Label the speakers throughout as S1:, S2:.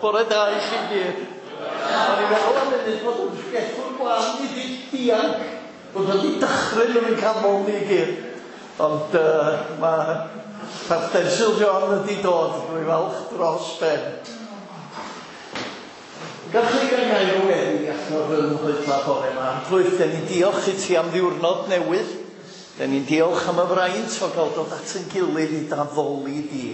S1: Bore da i chi gyd. O'n i'n meddwl am munud bod yn pregethwr gwan ni 'di dianc, bod o 'di dychryn yn ein canol ni i gyd. Ond uh, mae Parch Densil John wedi dod, dwi'n falch dros ben. Gallwch chi gael gair o weddi allan fy nghoedla bore yma. Arglwydd, den ni'n diolch i ti am ddiwrnod newydd. Den ni'n diolch am y fraint o gael dod at yn gilydd i d'addoli di.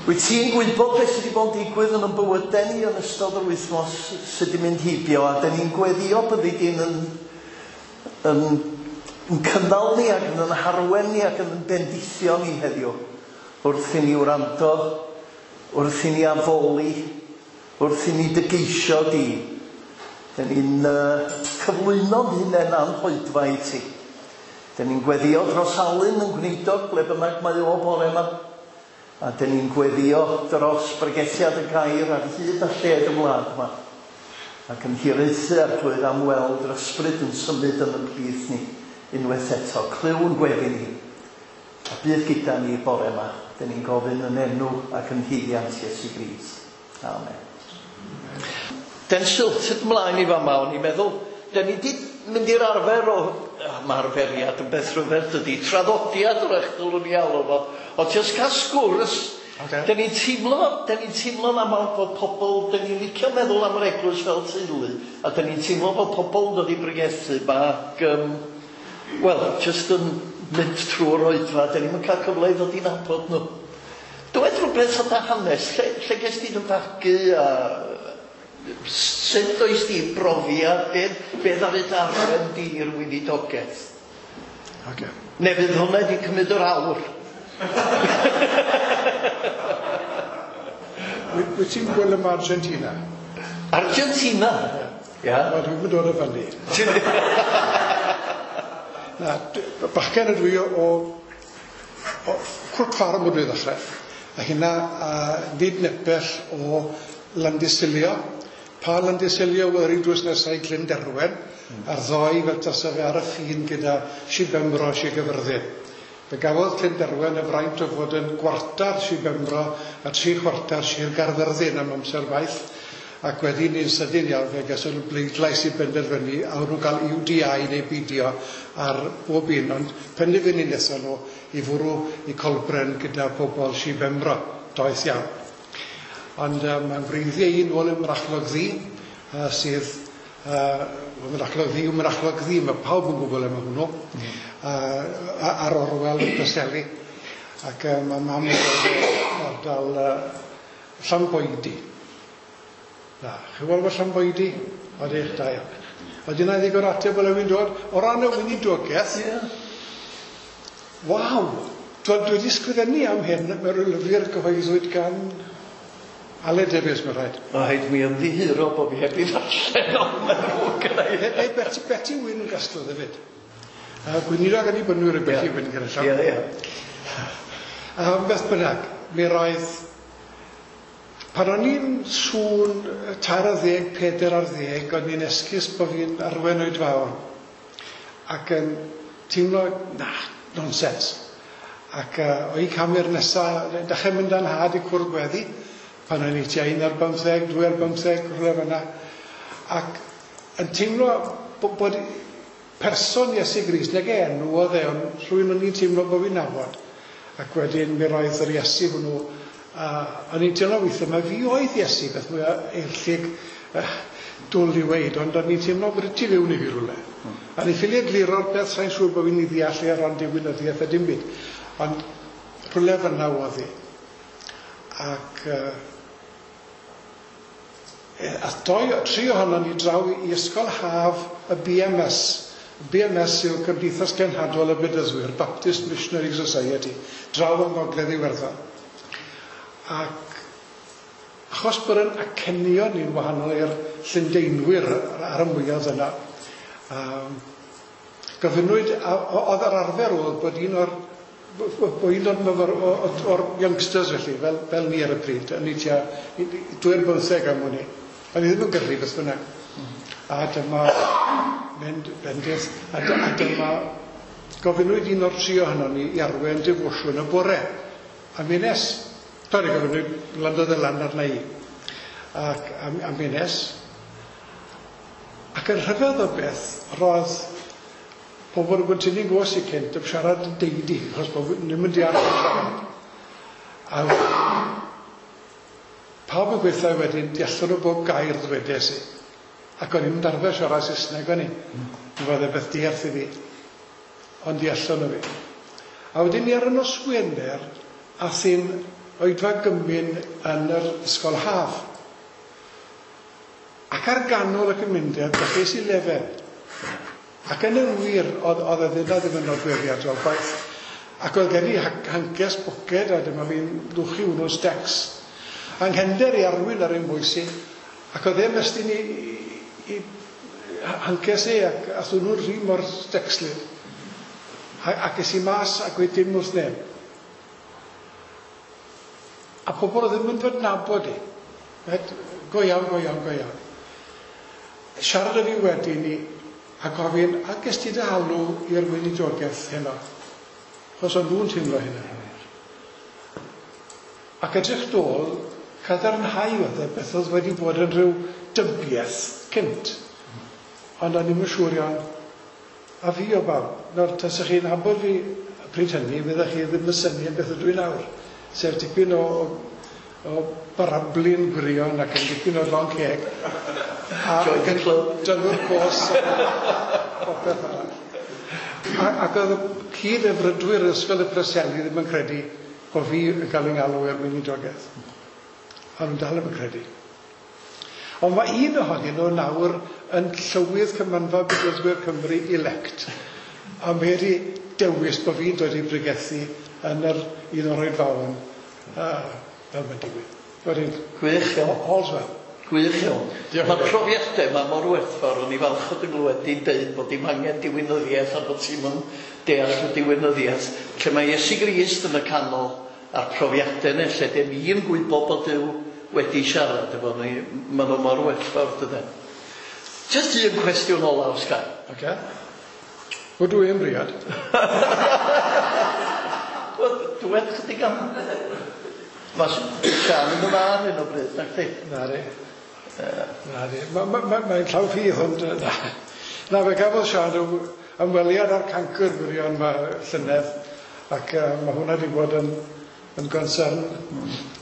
S1: Wyt ti'n gwybod beth sydd wedi bod yn digwydd yn yn bywydau ni yn ystod yr wythnos sydd wedi mynd heibio, a den ni'n gweddio byddi di'n yn, yn, yn cynnal ni ac yn yn harwen ni ac yn yn bendithio ni heddiw wrth i ni wrando, wrth i ni addoli, wrth i ni dy geisio di. Den ni'n uh, cyflwyno'n hunain a'n hoedfa i ti. Den ni'n gweddio dros Alun yn gwneudog ble bynnag mae o bore yma. A den ni'n gweddio dros bregethiad y gair ar hyd a lled y wlad yma. Ac yn hiraethu Arglwydd am weld yr ysbryd yn symud yn y plith ni unwaith eto. Clyw yn gweddi ni. A bydd gyda ni bore yma. Den ni'n gofyn yn enw ac yn haeddiant Iesu Grist. Amen. Densil, tyd mlaen i fama, o'n i'n meddwl, den ni di mynd i'r arfer o, mae arferiad yn beth rhyfedd dydy, traddodiad wrach dylwn ni alw fo, o jyst cael sgwrs. Okay. Den ni'n teimlo, den ni'n teimlo'n aml bod pobl, den ni'n licio meddwl am yr eglwys fel teulu, a den ni'n teimlo bod pobl yn dod i bregethu ma ac, wel, jyst yn mynd trwy'r oedfa, den ni'm yn cael cyfle i ddod i nabod nhw. Dywed rhywbeth o dy hanes, lle, lle ges di dy fagu a sut oes di brofiad, be, be ddaru dy arwen di i'r weinidogaeth?
S2: Okay.
S1: Neu fydd hwnna wedi cymryd yr awr.
S2: Wyt ti'n gweld am Argentina?
S1: Argentina?
S2: Ia. Wel, dwi'n mynd dod o fyny. Na, bachgen ydw i o, o Cwrt Ffarm ydw i ddechrau. A hynna nid nepell o Landysilio. Pa Landysilio oedd yr un drws nesaf i Glyn Derwen, a'r ddoi fel tasa fe ar y ffin gyda Sir Benfro a Sir Gaerfyrddin. Fe gafodd Glyn Derwen y fraint o fod yn gwartar Sir Benfro a tri chwartar Sir Gaerfyrddin am amser maith, ac wedyn yn sydyn iawn fe gason nhw bleidlais i benderfynu a o'n nhw'n cael UDI neu beidio ar bob un, ond penderfynu wnaethon nhw i fwrw i Colbren gyda pobl Sir Benfro, doeth iawn. Ond mae'n wreiddiau i nôl ym Mrachlog Ddu, sydd, Mynachlog Ddu yw Mynachlog Ddu, mae pawb yn gwybod le mae hwnnw, ar orwel y Preseli. Ac mae mam yn dod o ardal Llanboidy. Na, chi'n gweld bod Llanboidy? Odych, da iawn. Oeddi yna ddigon ateb o le wy'n dod. O ran y weinidogaeth,
S1: yeah.
S2: Waw! Dwi wedi sgrifennu am hyn mewn rhyw lyfr gyhoeddwyd gan Aled Davies, mae'n rhaid.
S1: Ma' rhaid mi ymddiheuro bo' fi heb 'i ddarllen ond mae'n ddrwg gynna i.
S2: Neu Beti, Beti Wyn gasglodd hefyd. Gweinidog Annibynwyr yw Beti Wyn gyda llaw.
S1: Ie, ie.
S2: Beth bynnag, mi roedd... Pan o'n i'n sŵn 13, 14, o'n i'n esgus bo' fi'n arwen oedfaon. Ac yn teimlo, na, nonsens. Ac o'i cam i'r nesa, dechrau mynd â'n nhad i cwrdd gweddi, pan o'n i tua 11, 12, rhywle fan'na. Ac yn teimlo bod person Iesu Grist, nag e enw oedd e, ond rhywun o'n i'n teimlo bod fi'n nabod. Ac wedyn mi roedd yr Iesu hwnnw, a o'n i'n teimlo weithiau, mae fi oedd Iesu, beth mwy eirllig dwl i weud, ond o'n i'n teimlo bod y tu fewn i fi rhywle. A ni ffili egluro'r peth, sa'n siŵr bod fi'n ei ddeall e ar ran diwinyddiaeth a dim byd, ond rhywle fan'na oedd hi. Ac ath doi, tri ohonon ni draw i ysgol haf y BMS. BMS yw Cymdeithas Genhadol y Bedyddwyr, Baptist Missionary Society, draw yng Ngogledd Iwerddon. Ac achos bod yn acenion ni'n wahanol i'r Llundeinwyr ar y mwyaf yna, gofynnwyd, oedd yr arfer oedd bod un o'r bod un o'r myfyr, o'r youngsters felly, fel ni ar y pryd, o'n i tua 12 am wn i. O'n i ddim yn gyrru beth bynnag. A dyma mynd bendith, a dyma gofynnwyd un o'r tri ohonon ni i arwen defosiwn y bore. A mi nes. Torri, gofyn, landodd y lan arna i. Ac am mi nes. Ac yn rhyfedd o beth, roedd pobl yn Bontynny'n gwrs i cynt yn siarad yn deidi, achos bod ddim yn deall yn siarad. A pawb yn gweithio wedyn, deallon nhw bob gair ddwedes i. Ac o'n i'n darfer siarad Saesneg o'n i. Mi oedd e beth diarth i fi. Ond deallon nhw fi. A wedyn ni ar y nos Wener, ath i'n oedfa gymun yn yr ysgol haf. Ac ar ganol y cymundeb, dechreuais i lefel. Ac yn y wir, oedd e ddim yn nodweddiadol gwaith. Ac oedd gen i hancers boced, a dyma fi'n lwchu hwnnw'n stecs. Anghender i arwyn ar ein bwys i, ac oedd e'n mestyn i hancers e, ac ath hwnnw'n rhy mor stecslyd. Ac es i mas ac gweud dim wrth neb. A pobl oedd ddim yn fy nabod i. Go iawn, go iawn, go iawn. Siarad â fi wedyn i, a gofyn, a ges ti dy alw i'r weinidogaeth heno? Achos o'n nhw'n teimlo hynna. Ac edrych dôl, cadarnhau oedd e beth oedd wedi bod yn rhyw dybiaeth cynt. Ond o'n i'm yn siŵr iawn. A fi o bawb. Nawr, tasech chi'n nabod fi pryd hynny, fyddech chi ddim yn synnu am beth ydw i nawr. Sef dipyn o barablu'n gwirion ac yn dipyn o long ceg. A
S1: Join the club.
S2: Dylw'r cos a popeth arall. Ac oedd y cyd-efrydwyr Ysgol y Preseli ddim yn credu bod fi yn cael ei ngalw i'r weinidogaeth. A nhw'n dal ddim yn credu. Ond mae un ohonyn nhw nawr yn llywydd Cymanfa Bedyddwyr Cymru elect. A mae wedi dewis bod fi'n dod i bregethu yn yr un o'r oedfaon fel mae'n digwydd. Wedyn,
S1: Gwych iawn.
S2: All's well.
S1: Gwych iawn.
S2: Diolch.
S1: Mae'r profiadau yma mor werthfawr, o'n i falch o dy glywed di'n deud bod dim angen diwinyddiaeth a bod ti'm yn deall y diwinyddiaeth. Lle mae Iesu Grist yn y canol a'r profiadau yna, lle dim i'n gwybod bod Duw wedi siarad efo ni, maen nhw mor werthfawr dydyn. Just un cwestiwn ola os ga i.
S2: Ocê. Wel, dwi yn briod.
S1: Wel, dwed chydig am... Mae Siân yn y fan hyn o bryd, nac di?
S2: Na di. Na di. Mae'n llaw ffydd, ond... Na, na, fe gafodd Siân rhyw ymweliad â'r cancr gwirion ma llynedd, ac mae hwnna wedi bod yn concern.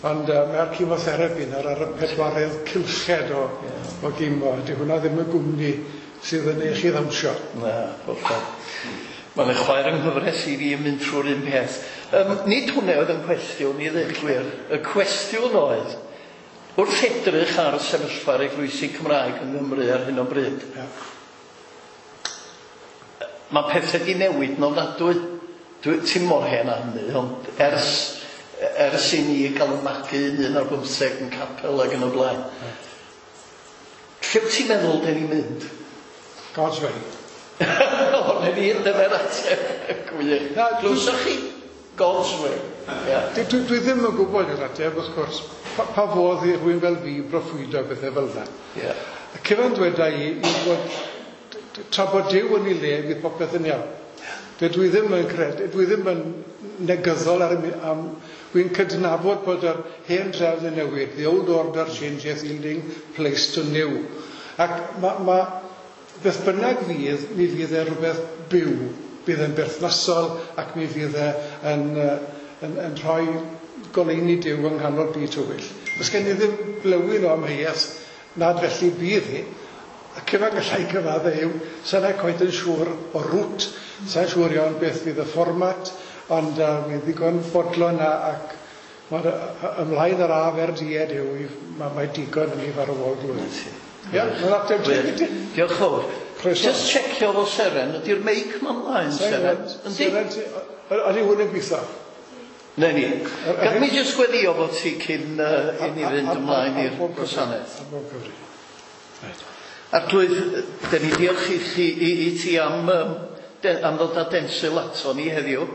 S2: Ond mae'r chemotherapy nawr ar y pedwaredd cylched o gimo. Di hwnna ddim yn gwmni sydd yn eich i ddawnsio.
S1: Na, hollol. Mae'n chwaer yng nghyfres i fi yn mynd trwy'r un peth. Nid hwnna oedd yn cwestiwn i ddweud gwir. Y cwestiwn oedd, wrth edrych ar sefyllfa'r eglwysi Cymraeg yng Nghymru ar hyn o bryd, mae pethau di newid yn ofnadwy. Ti'n mor hen â hynny, ond ers i ni gael y magu un ar bymtheg yn capel ac yn y blaen. Lle wyt ti'n meddwl den ni'n mynd?
S2: God's way.
S1: O, na ni, dyna'r ateb. Gwych. Glywsoch chi? God's way.
S2: Dwi ddim yn gwybod yr ateb, wrth gwrs. Pa fodd i rhywun fel fi broffwydo bethau fel yna. Y cyfan dweda i yw bod tra bod Duw yn ei le, fydd popeth yn iawn. Dwi ddim yn credu, dwi ddim yn negyddol ar y am, dwi'n cydnabod bod yr hen drefn yn newid. The old order changeth, yielding place to new. Ac ma beth bynnag fydd, mi fydd e rhywbeth byw, bydd e'n berthnasol ac mi fydd e yn rhoi goleuni Duw yng nghanol byd tywyll. Does gen i ddim blywyn o amheuaeth nad felly bydd hi. Y cyfan gallai cyfadde yw, sa'n cweit yn siŵr o rwt, sa'n siŵr iawn beth fydd y fformat, ond mi ddigon fodlon ac mae'r ymlaen yr af er died yw, mae digon yn ei farwol glwydd. Ie, mae'n ateb teg i ti.
S1: Diolch fawr.
S2: Croeso.
S1: Just checio fo Seren, ydy'r meic ma mlaen, Seren? Yndi?
S2: Seren, ydy hwn yn gweithio?
S1: Na ni. Gad mi jyst gweddio fo ti cyn i ni fynd ymlaen i'r gwasanaeth.
S2: Ar bob cyfri. Reit.
S1: Arglwydd, dyn ni diolch i chi, i ti am ddod â Densil ato ni heddiw.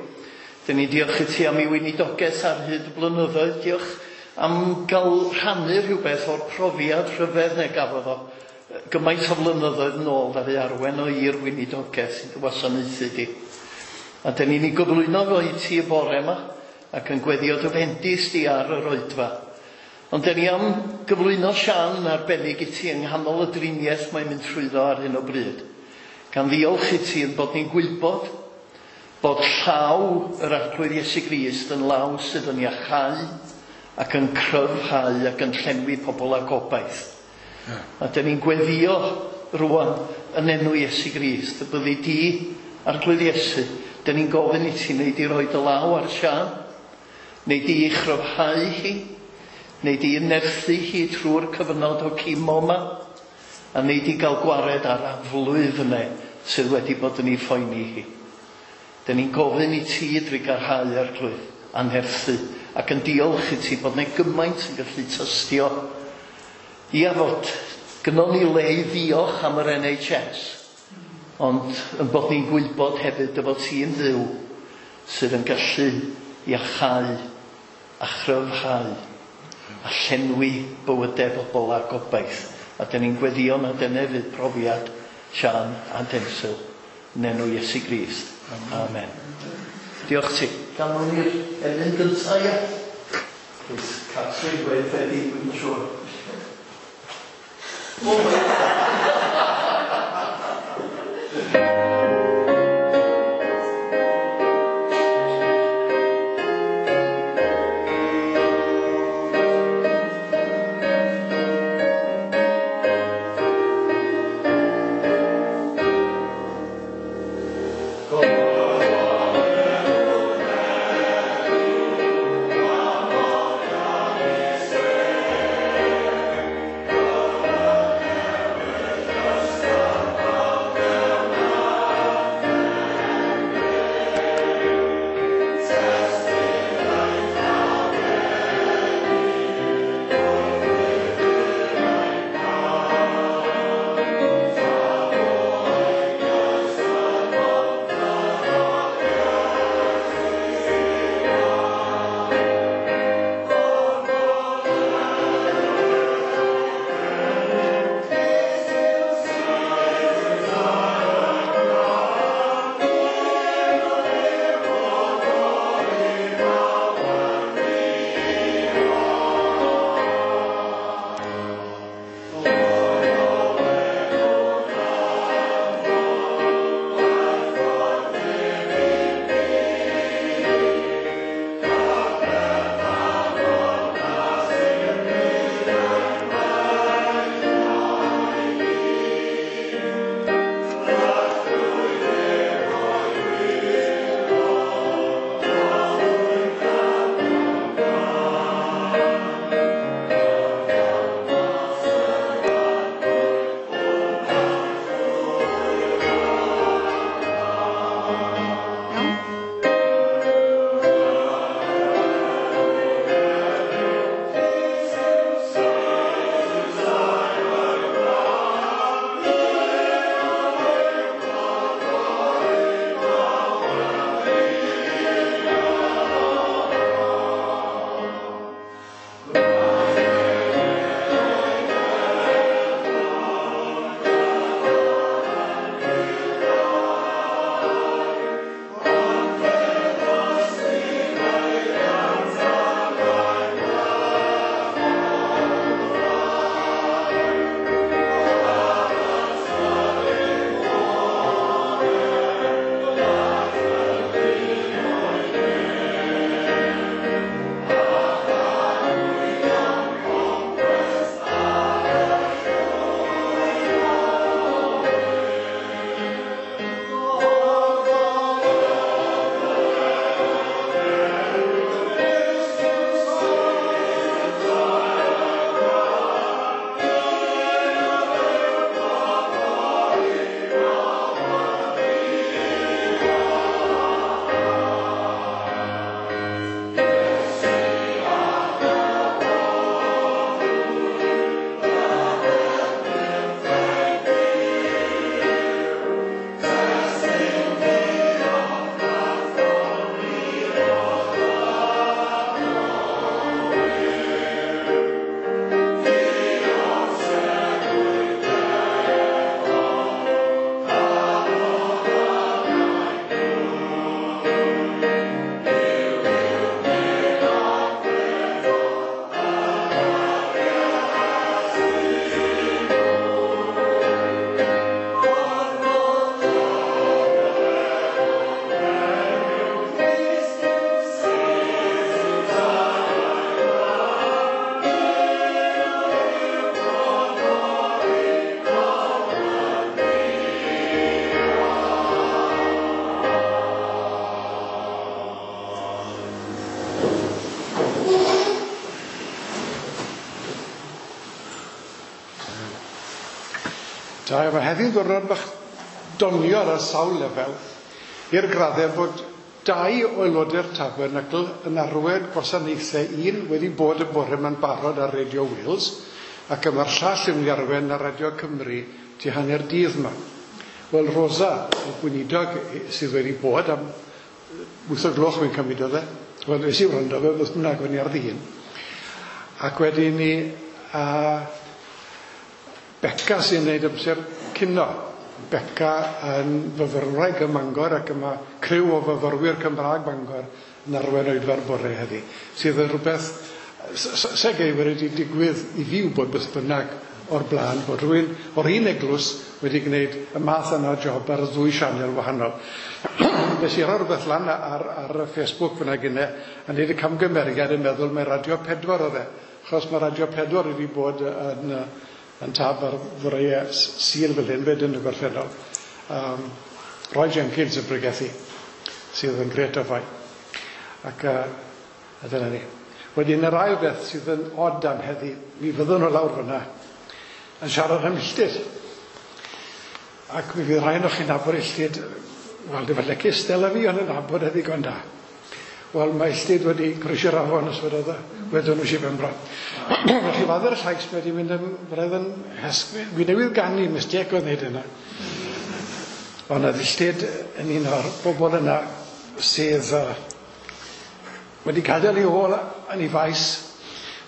S1: Dyn ni diolch i ti am ei weinidogaeth ar hyd y blynyddoedd. Diolch am gael rhannu rhywbeth o'r profiad rhyfedd neu gafodd o gymaint o flynyddoedd nôl ddaru arwen o i'r weinidogaeth sy'n dy wasanaethu di. A dyn ni'n ei gyflwyno fo i ti y bore yma, ac yn gweddio dy fendith di ar yr oedfa. Ond dyn ni am gyflwyno Sian yn arbennig i ti yng nghanol y driniaeth mae'n mynd trwyddo ar hyn o bryd. Gan ddiolch i ti yn bod ni'n gwybod bod llaw yr Arglwydd Iesu Grist yn law sydd yn iachau ac yn cryfhau ac yn llenwi pobl â gobaith. A dyn ni'n gweddio rwan yn enw Iesu Grist, y byddi di, Arglwydd Iesu, dyn ni'n gofyn i ti wneud i roi dy law ar Sian, neu di ei chryfhau hi, neu di nerthu hi trwy'r cyfnod o chemo yma, a neu di gael gwared ar aflwydd yna sydd wedi bod yn ei phoeni hi. Dyn ni'n gofyn i ti drugarhau, Arglwydd, a'n nerthu, ac yn diolch i ti bod 'na gymaint yn gallu tystio. Ia, fod gynnon ni le i ddiolch am yr NHS, ond yn bod ni'n gwybod hefyd dy fod ti'n Dduw sydd yn gallu iachau a chryfhau a llenwi bywydau bobl â gobaith. A dyn ni'n gweddio na dyna fydd profiad Sian a Densil yn enw Iesu Grist. Amen. Diolch ti. Ganwn ni'r emyn gyntaf, ia? Please, Catrin, gweud ready, dwi'n siŵr. Oh my
S2: Da, mae heddiw'n ddiwrnod bach doniol ar sawl lefel, i'r graddau bod dau o aelodau'r Tabernacl yn arwain gwasanaethau, un wedi bod y bore yma'n barod ar Radio Wales, ac y mae'r llall yn mynd i arwain ar Radio Cymru tu hanner dydd yma. Wel, Rosa, y gweinidog sydd wedi bod am 8 o gloch fi'n cymryd oedd e. Wel, nes i wrando fe, beth bynnag, o'n i ar ddyn. Ac wedyn ni, a Beca sy'n gwneud amser cino. Beca yn fyfyrwraig ym Mangor ac yma criw o fyfyrwyr Cymraeg Bangor yn arwain oedfa'r bore heddi, sydd yn rhywbeth se geir wedi digwydd i fi wybod beth bynnag o'r blaen, bod rhywun o'r un eglwys wedi gwneud y math yna o job ar y ddwy sianel wahanol. Nes i roi rhywbeth lan ar y Facebook fyna gynne, a wneud y camgymeriad yn meddwl mae Radio 4 oedd e, achos mae Radio 4 wedi bod yn tab ar foreau Sul fel hyn fyd yn y gorffennol. Roy Jenkins yn pregethu, sydd yn gret o fai. Ac a dyna ni. Wedyn yr ail beth sydd yn od am heddi, mi fyddwn nhw lawr fyna yn siarad am Illtyd. Ac mi fydd rhai o'ch chi'n nabod Illtyd, wel, dim falle cystal â fi, ond yn nabod e ddigon da. Wel, mae Illtyd wedi croesi'r afon os wedodd e, wedon nhw Sir Benfro. Felly fadde'r llais mae wedi mynd yn braidd yn hesg. Wi newydd ganu, mistake oedd wneud yna. Ond oedd Illtyd yn un o'r bobl yna sydd wedi gadael ei ôl yn ei faes,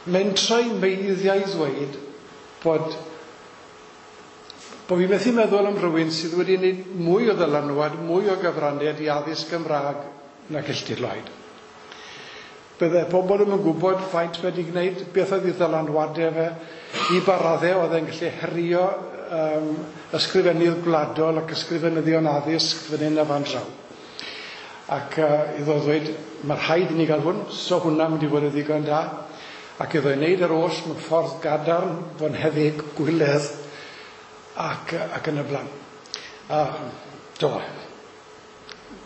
S2: mentrau meiddiau ddweud bod fi'n methu meddwl am rhywun sydd wedi gwneud mwy o ddylanwad, mwy o gyfraniad i addysg Gymraeg nag Illtyd Lloyd. Bydde pobl ddim yn gwybod faint wedi gwneud, beth oedd ei ddylanwadau fe, i ba raddau oedd e'n gallu herio ysgrifennydd gwladol ac ysgrifenyddion addysg fan hyn a fan draw. Ac iddo ddweud, mae rhaid i ni gael hwn, so hwnna'n mynd i fod yn ddigon da. Ac iddo ei wneud yr oll mewn ffordd gadarn, fonheddig, gwyledd, ac yn y blaen. Do.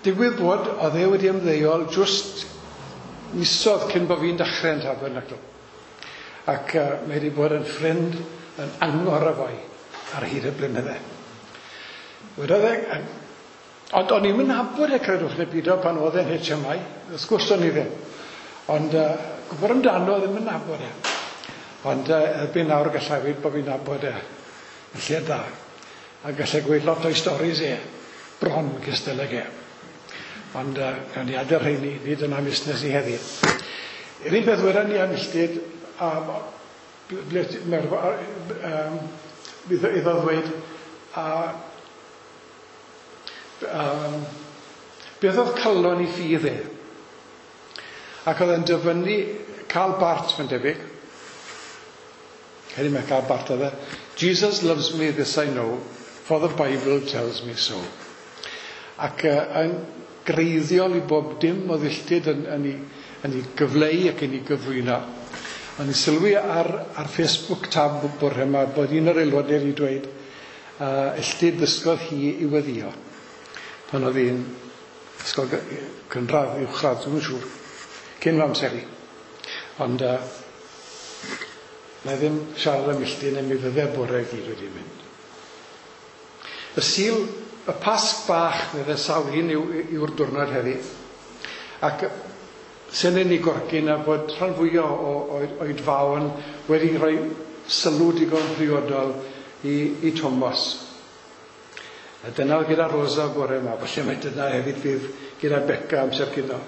S2: Digwydd bod, oedd e wedi ymddeol jyst misodd cyn bod fi'n dechrau yn Tabernacl. Ac mae wedi bod yn ffrind yn angor a foi ar hyd y blynydde. Wedodd e, ond o'n i'm yn nabod e, credwch neu beidio, pan oedd e'n HMI, wrth gwrs o'n i ddim. Ond gwybod amdano ddim yn nabod e. Ond erbyn nawr gallai weud bod fi'n nabod e yn lle da. A gallai gweud lot o'i storis e, bron cystal ag e. Ond gawn ni adael rheini, nid yna busnes i heddi. Yr un peth wedon ni am Illtyd, iddo ddweud, beth oedd calon i ffydd e? Ac oedd e'n dyfynnu Karl Barth, mae'n debyg. Heddi mae Karl Barth oedd e. Jesus loves me, this I know, for the Bible tells me so. Ac yn greiddiol i bob dim oedd Illtyd yn ei gyfleu ac yn ei gyflwyno. O'n i'n sylwi ar Facebook tab bore yma bod un o'r aelodau wedi dweud Illtyd ddysgodd hi i weddio. Pan oedd hi'n ysgol cynradd, uwchradd, dwi'm yn siŵr, cyn fy amser i. Ond na i ddim siarad am Illtyd neu mi fydde bore i gyd wedi mynd. Y Sul, y Pasg bach, medde sawl un yw'r diwrnod heddi. Ac sy'n ei gorgyn a bod rhan fwyaf o oedfaon wedi rhoi sylw digon priodol i Thomas. A dyna oedd gyda Rosa bore yma, falle mae dyna hefyd fydd gyda Beca amser cino.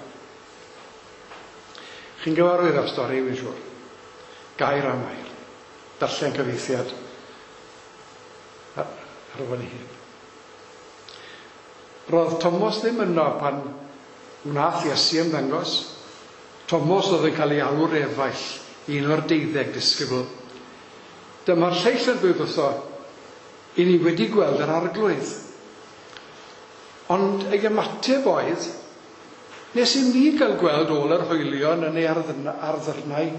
S2: Chi'n gyfarwydd â'r stori, wy'n siŵr. Gair am air. Darllen cyfieithiad ar ôl ei hun. Roedd Thomas ddim yno pan wnaeth Iesu ymddangos. Thomas oedd yn cael ei alw'r efaill, un o'r 12 disgybl. Dyma'r lleill yn dweud wrtho, i ni wedi gweld yr arglwydd. Ond ei ymateb oedd, nes i mi gael gweld ôl yr hoelion yn ei arddyrnau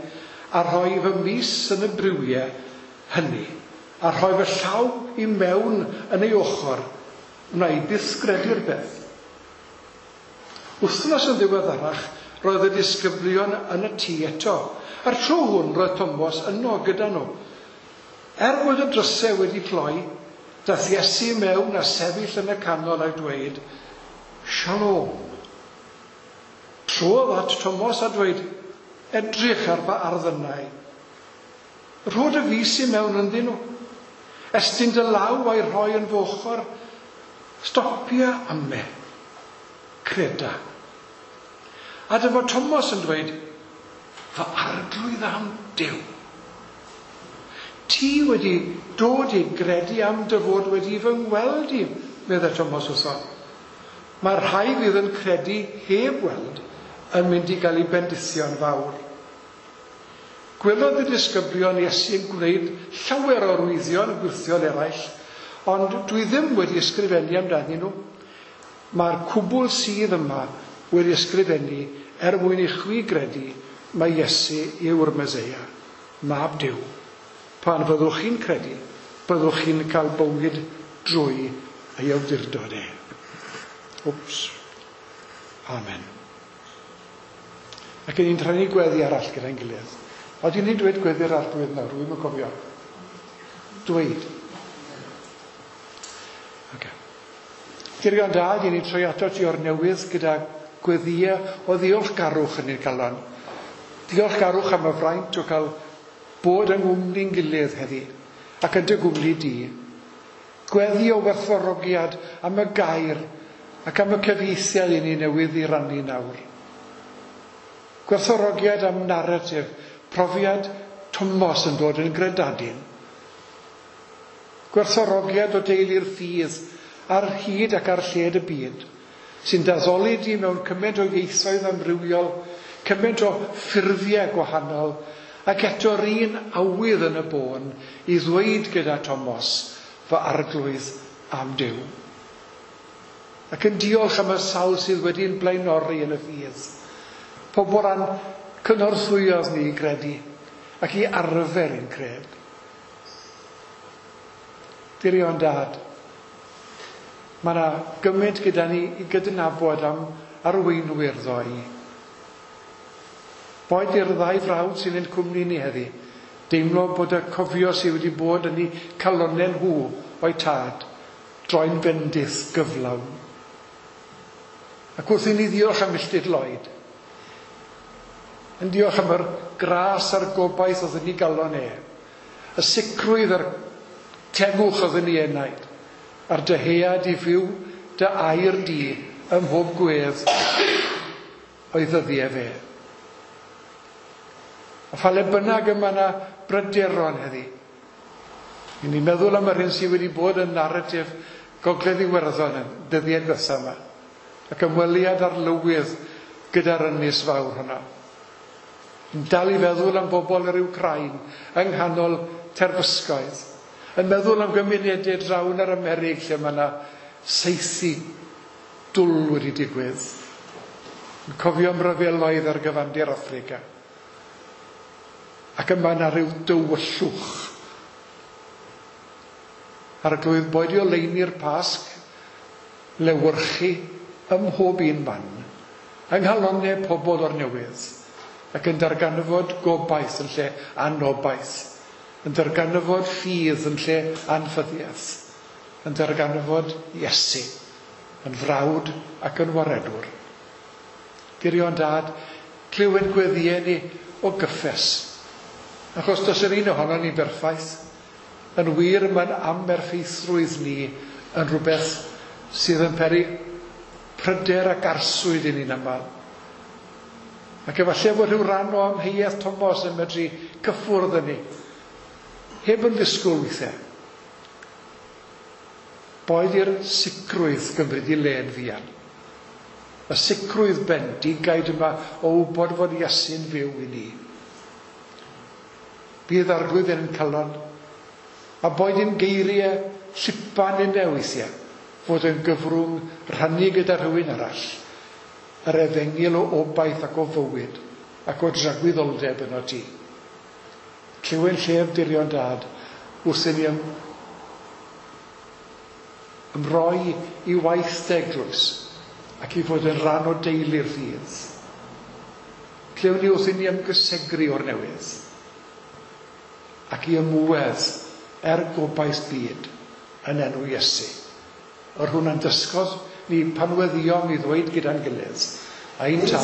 S2: a rhoi fy mys yn y briwiau hynny, a rhoi fy llaw i mewn yn ei ochr, wna i byth gredu'r beth. Wythnos yn ddiweddarach, roedd y disgyblion yn y tŷ eto. A'r tro hwn roedd Thomas yno gyda nhw. Er bod y drysau wedi cloi, Dath Iesu mewn a sefyll yn y canol a dweud, Shalom. Trodd at Tomos a dweud, edrych ar fy arddynau. Rho dy fys i mewn ynddyn nhw. Estyn dy law a'i rhoi yn fy ochr. Stopia ame. Creda. A dyma Tomos yn dweud, fy arglwydd am Duw. Ti wedi dod i gredu am dy fod wedi fy ngweld i, meddai Tomos wrtho. Mae'r rhai fydd yn credu heb weld yn mynd i gael eu bendithio'n fawr. Gwelodd y disgyblion Iesu yn gwneud llawer o arwyddion gwyrthiol eraill, ond dwi ddim wedi ysgrifennu amdanyn nhw. Mae'r cwbl sydd yma wedi ysgrifennu er mwyn i chwi gredu mai Iesu yw'r Meseia, Mab Duw. Pan fyddwch chi'n credu, byddwch chi'n cael bywyd drwy ei awdurdod e. Wps. Amen. Ac ni'n trefnu gweddi arall gyda'n gilydd. Oedden ni'n dweud gweddi'r arglwydd nawr, dwi'm yn cofio. Dweud. Okay. Dirion Dad, i ni'n troi ato ti o'r newydd gyda gweddïau o ddiolchgarwch yn ein calon. Diolchgarwch am y fraint o cael bod yng nghwmni'n gilydd heddi, ac yn dy gwmni di. Gweddi o werthfawrogiad am y gair ac am y cyfieithiad i ni newydd i rannu nawr. Gwerthfawrogiad am naratif, profiad Tomos yn dod yn gredadun. Gwerthfawrogiad o deulu'r ffydd ar hyd ac ar lled y byd, sy'n daddoli di mewn cymaint o ieithoedd amrywiol, cymaint o ffurfiau gwahanol, ac eto'r un awydd yn y bôn i ddweud gyda Tomos, fy arglwydd am Duw. Ac yn diolch am y sawl sydd wedi'n blaenori yn y ffydd. Pobl a'n cynorthwyodd ni i gredu ac i arfer ein cred. Dirion Dad, mae yna gymaint gyda ni i gydnabod am arweinwyr ddoe. Boed i'r ddau frawd sy'n ein cwmni ni heddi, deimlo bod y cofio sydd wedi bod yn eu calonnau nhw o'i tad, droi'n bendith gyflawn. Ac wrth i ni ddiolch am Milltid Lloyd, yn diolch am yr gras a'r gobaith oedd yn ei galon e, y sicrwydd a'r tegwch oedd yn ei enaid, a'r dyhead i fyw dy air di ym mhob gwedd o'i ddyddiau fe. A pha le bynnag yma yna bryderon heddi. I ni'n meddwl am yr hyn sydd wedi bod yn naratif Gogledd Iwerddon yn dyddiau diwetha yma. Ac ymweliad arlywydd gyda'r ynys fawr hwnna. Yn dal i feddwl am bobl yr Wcrain yng nghanol terfysgoedd. Yn meddwl am gymunedau draw yn yr Amerig lle mae yna saethu dwl wedi digwydd. Yn cofio am ryfeloedd ar gyfandir Affrica. Ac yma yna rhyw dywyllwch. Arglwydd, boed i oleuni'r Pasg, lewyrchu ym mhob un man, yng nghalonnau pobl o'r newydd, ac yn darganfod gobaith yn lle anobaith, yn darganfod ffydd yn lle anffyddiaeth, yn darganfod Iesu, yn frawd ac yn waredwr. Dirion Dad, clyw ein gweddïau ni o gyffes, achos does yr un ohonon ni berffaith. Yn wir, mae'n amerffeithrwydd ni yn rhywbeth sydd yn peri pryder ac arswyd i ni'n aml. Ac efallai fod rhyw ran o amheuaeth Tomos yn medru cyffwrdd yn ni, heb yn ddisgwyl weithiau. Boed i'r sicrwydd gymryd i le'n fuan. Y sicrwydd bendigaid yma o wybod fod Iesu'n fyw i ni. Bydd arglwydd yn calon, a boed i'n geiriau llipan yn weithiau, fod yn gyfrwng rhannu gyda rhywun arall, yr efengyl o obaith ac o fywyd, ac o dragwyddoldeb yno ti. Clyw'n llef dirion Dad, wrth i ni ymroi i waith dy eglwys, ac i fod yn rhan o deulu'r ffydd. Clywn ni wrth i ni ymgysegru o'r newydd, ac i ymwedd er gobaith byd, yn enw Iesu. Yr hwn a'n dysgodd ni pan weddiom i ddweud gyda'n gilydd, Ein Tad,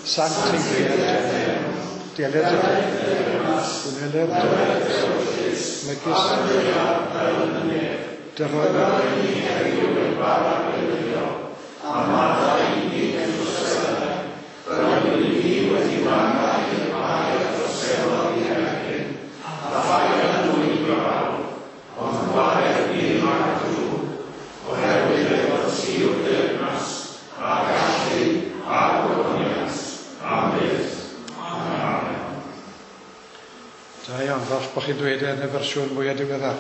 S2: sancteiddier dy enw, deler dy deyrnas, gwneled dy ewyllys, megis dy roi i ni heddiw ein bara beunyddiol, a maddau i ni ein troseddau, fel yr ydym ni wedi maddau i'r rhai a droseddodd i'n herbyn, a phaid â dwyn i brawf, ond gwared ni rhag y drwg, oherwydd eiddo ti yw'r deyrnas, a'r gallu, a'r gogoniant, am byth. Amen. Da iawn, falch bod chi'n dweud e yn y fersiwn mwyaf diweddar.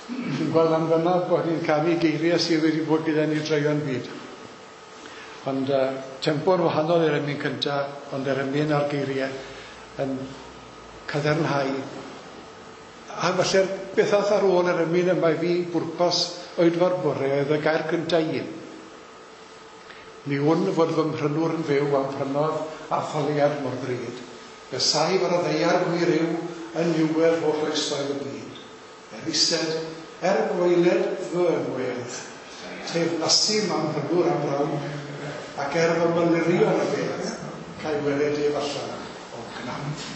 S2: Fi'n gweld lan fyna bod ni'n canu geiriau sydd wedi bod gyda ni draeon byd. Ond tempo'n wahanol i'r emyn cyntaf, ond yr emyn a'r geiriau yn cadarnhau. A falle'r beth ath ar ôl yr emyn yma i fi bwrpas oedfa'r bore oedd y gair cyntaf un. Mi wn fod fy mhrynwr yn fyw am prynodd a thaliad mor ddrud. Fe saif ar y ddaear gwir yw yn niwedd holl oesoedd y byd. Er ised, er gwaeled fy ngwedd, teyrnasu ma'm mhrynwr am rawn, ac er fy mylirio yn y bedd, ca'i weled ef allan o gnawd.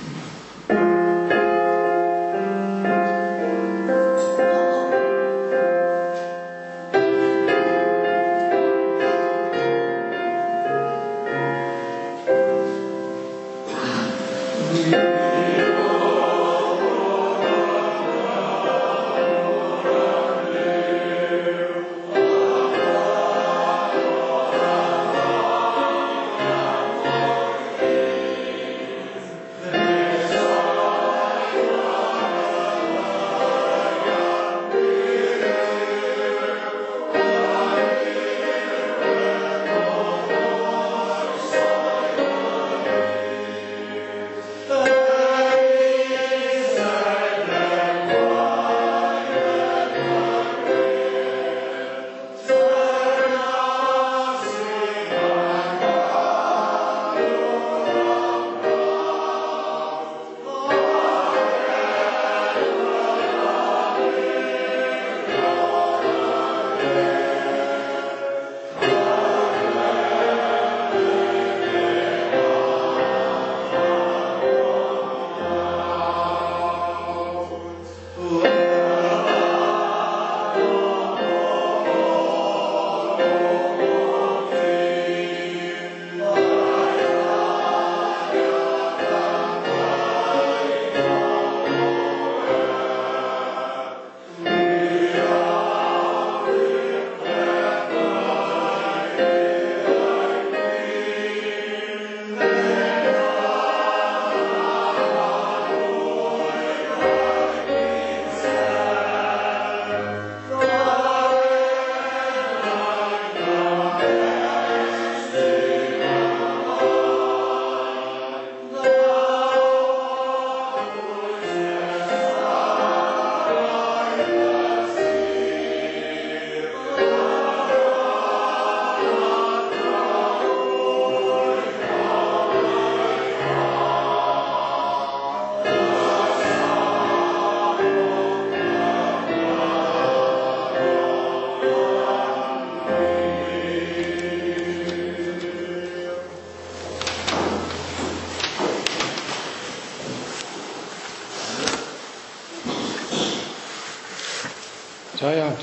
S2: Da iawn.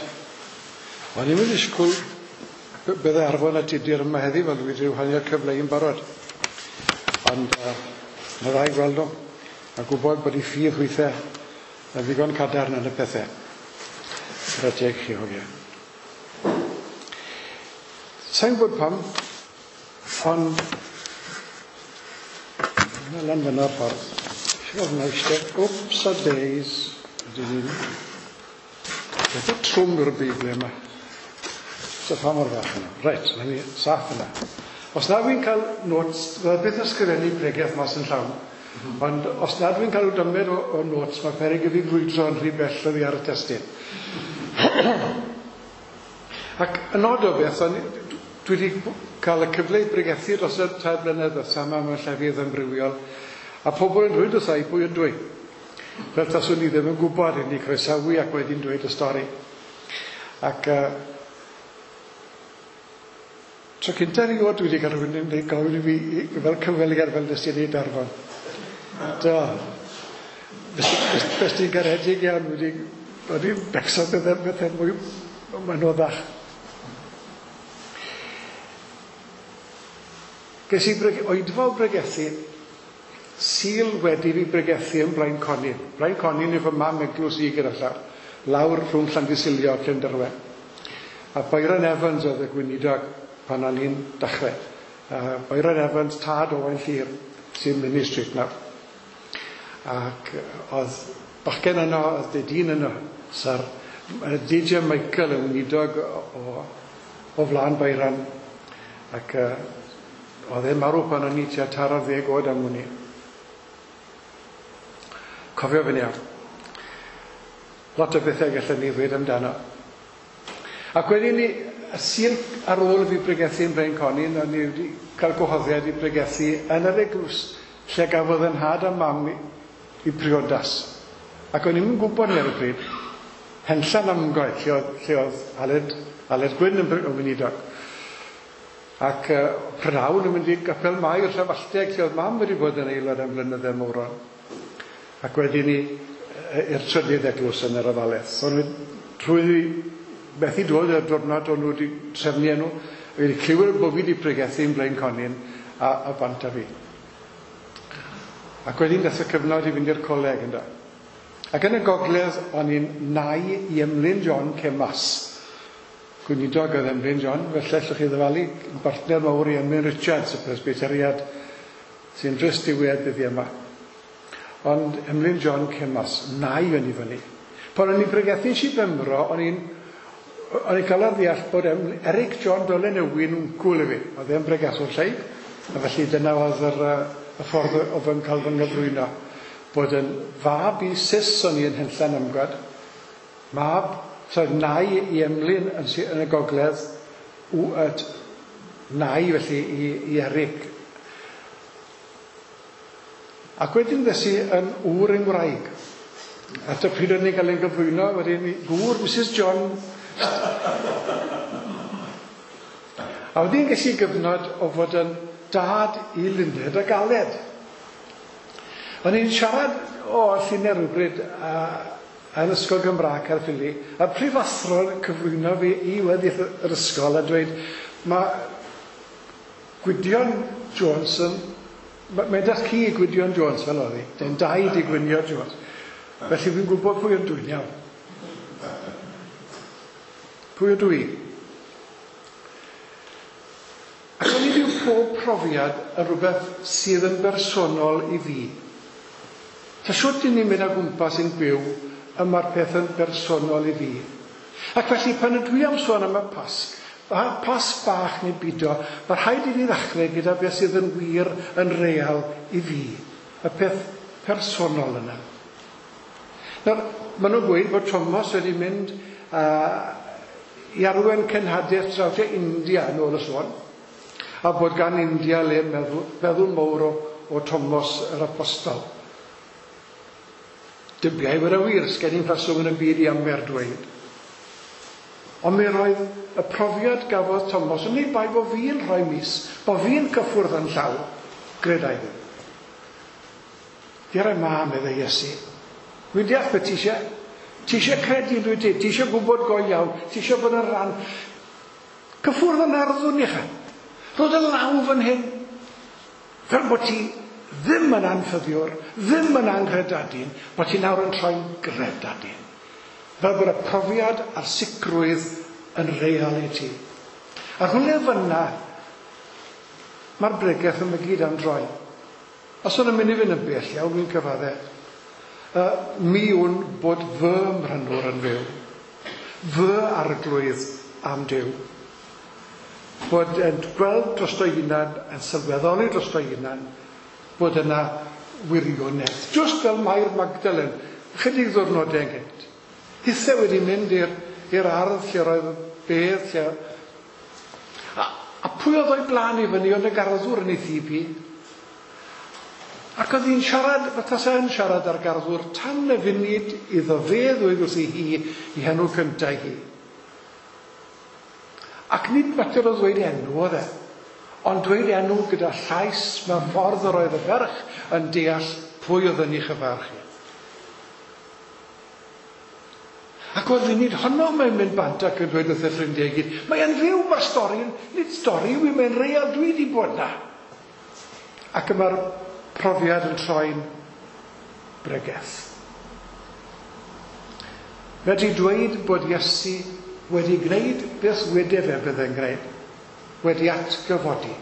S2: O'n i'm yn disgwyl bydde Arfon a Tudur yma heddi, fel dwi wedi rhannu'r cyfle i'n barod. Ond na dda i gweld nhw, a gwybod bod eu ffydd hwythau yn ddigon cadarn yn y pethau. Gyda teg chi, hogia. Sa'n gwybod pam, ond yna lan fyna'r ffordd. Eisiau fod yna eistedd, ups a days. Ydyn ni'n Beth y trwm yw'r Beibl yma? So pa mor fach yna? Reit, na ni, saff yna. Os na fi'n cael notes, fydda byth yn ysgrifennu pregeth mas yn llawn, ond os na dwi'n cael dymed o notes, mae peryg i fi grwydro yn rhy bell oddi ar y testun. Ac yn nod o beth, dwi wedi cael y cyfle i bregethu dros y 3 blynedd ddiwetha yma mewn llefydd amrywiol, a pobl yn dweud wrtha i pwy ydw i. Fel taswn i ddim yn gwybod, i ni croesawu ac wedyn dweud y stori. Ac tro cynta erioed dwi wedi cael rhywun yn gofyn i fi fel cyfweliad fel nes i wneud Arfon. Do. Bys ti'n garedig iawn, wedi becso bethau mwy anoddach. Ges i oedfa o bregethu, Sul wedi fi bregethu yn Blaen Conin. Blaen Conin yw fy mam eglwys i gyda llaw, lawr rhwng Llandysilio a Llanderwen. A Byron Evans oedd y gweinidog pan o'n i'n dechrau. Byron Evans, tad Owain Llyr, sy'n Minnie Street nawr. Ac oedd bachgen yno, oedd dyn yno, Sir DJ Michael yn weinidog o flaen Byron. Ac oedd e'n marw pan o'n i tua 40 oed am wn i. Cofio fe'n iawn. Lot o bethau gallen ni ddweud amdano. Ac wedyn ni, y Sul ar ôl fi bregethu yn Blaen Conin, o'n i wedi cael gwahoddiad i bregethu yn yr eglwys lle gafodd yn nhad a mam i priodas. Ac o'n i'm yn gwybod ni ar y pryd, Henllan Amgoed, lle oedd Aled Gwyn yn weinidog. Ac prynhawn yn mynd i Gapel Mair Llanfallteg, lle oedd mam wedi bod yn aelod am flynydde mawron. Ac wedyn ni i'r trydydd eglwys yn yr Afalaeth. O'n nhw trwy methu dod i'r diwrnod o'n nhw wedi trefnu nhw, wedi clywed bod fi wedi pregethu yn Blaen Conin a bant â fi. Ac wedyn dath y cyfnod i fynd i'r coleg ynddo. Ac yn y gogledd o'n i'n nai i Emlyn John Cemas. Gweinidog oedd Emlyn John, felly allwch chi ddyfalu, bartner mawr i Emlyn Richards, y presbyteriad sy'n drist diwedd dyddiau yma. Ond Emlyn John Cemas, nai o'n i fyny. Pan o'n i'n pregethu Sir Benfro, o'n i'n cael ar ddeall bod Eric John Dolen Ewin wncwl i fi. Oedd e'n pregethwr lleig, a felly dyna oedd y ffordd o fy cael fy nghyflwyno. Bod yn fab i Sis o'n i yn Henllan Amgwad, mab, so nai i Emlyn yn y gogledd, nai felly i Eric. Ac wedyn ddes i yn ŵr yng Ngwraig. At y pryd o'n i'n cael ein gyflwyno, wedyn gŵr Mrs John. A wedyn ges i gyfnod o fod yn dad i Luned a Galed. O'n i'n siarad o Llunau rhywbryd yn Ysgol Gymraeg Caerffili, a prifathro'n cyflwyno fi i weddill yr ysgol a dweud, mae Gwydion Jones yn... Mae'n datcu i Gwydion Jones fel oedd hi, dyn dau di Gwydion Jones. Felly fi'n gwybod pwy ydw i'n iawn. Pwy ydw i? Ac o'n i byw pob profiad yn rhywbeth sydd yn bersonol i fi. Ta siwt i ni'n mynd o gwmpas yn byw, y mae'r peth yn bersonol i fi. Ac felly pan ydw i am sôn am y Pasg, Pasg bach neu bido, mae rhaid i ni ddechrau gyda beth sydd yn wir, yn real i fi. Y peth personol yna. Nawr, maen nhw'n gweud bod Thomas wedi mynd i arwain cenhadaeth draw tua India yn ôl y sôn, a bod gan India le meddwl mawr o Thomas yr Apostol. Dybiau bod y wir, sgen i'n ffaswm yn y byd i amser dweud. Ond mi roedd y profiad gafodd Thomas, yn ei bai bod fi'n rhoi mis, bod fi'n cyffwrdd yn llaw, gredai ddim. Di'r ma, meddai Iesu. Dwi'n deall beth ti eisiau. Ti eisiau credu dwi ti, ti eisiau gwybod go iawn, ti eisiau bod yn rhan. Cyffwrdd yn arddwn i chi. Rhod y law fan hyn. Fel bod ti ddim yn anffyddiwr, ddim yn anghredadun, bod ti nawr yn troi'n gredadun. Fel bod y profiad a'r sicrwydd yn real i ti. A rhywle fyna, mae'r bregeth yma gyd am droi. Os o'n mynd i fynd yn bell iawn, dwi'n cyfadde. Mi wn bod fy mhrynwr yn fyw, fy arglwydd am Duw. Bod yn gweld drosto'i hunan, yn sylweddoli drosto'i hunan, bod yna wirionedd. Just fel Mair Magdalen, chydig ddiwrnodau ynghynt. Hithe wedi mynd i'r ardd lle roedd bedd, lle... A pwy oedd o'i blaen i fyny ond y garddwr yn ei thyb hi? Ac oedd hi'n siarad, fatha sa yn siarad â'r garddwr, tan y funud iddo fe ddweud wrthi hi i henw cyntaf hi. Ac nid mater o ddweud enw oedd e, ond dweud enw gyda llais mewn ffordd yr oedd y ferch yn deall pwy oedd yn ei chyfarch hi. Ac o'r funud honno mae'n mynd bant ac yn dweud wrth y ffrindiau i gyd, mae'n fyw, mae'r stori, nid stori yw i, mae'n real, dwi wedi bod na. Ac y mae'r profiad yn troi'n bregeth. Wedi dweud bod Iesu wedi gwneud beth wede fe byddai'n gwneud, wedi atgyfodi.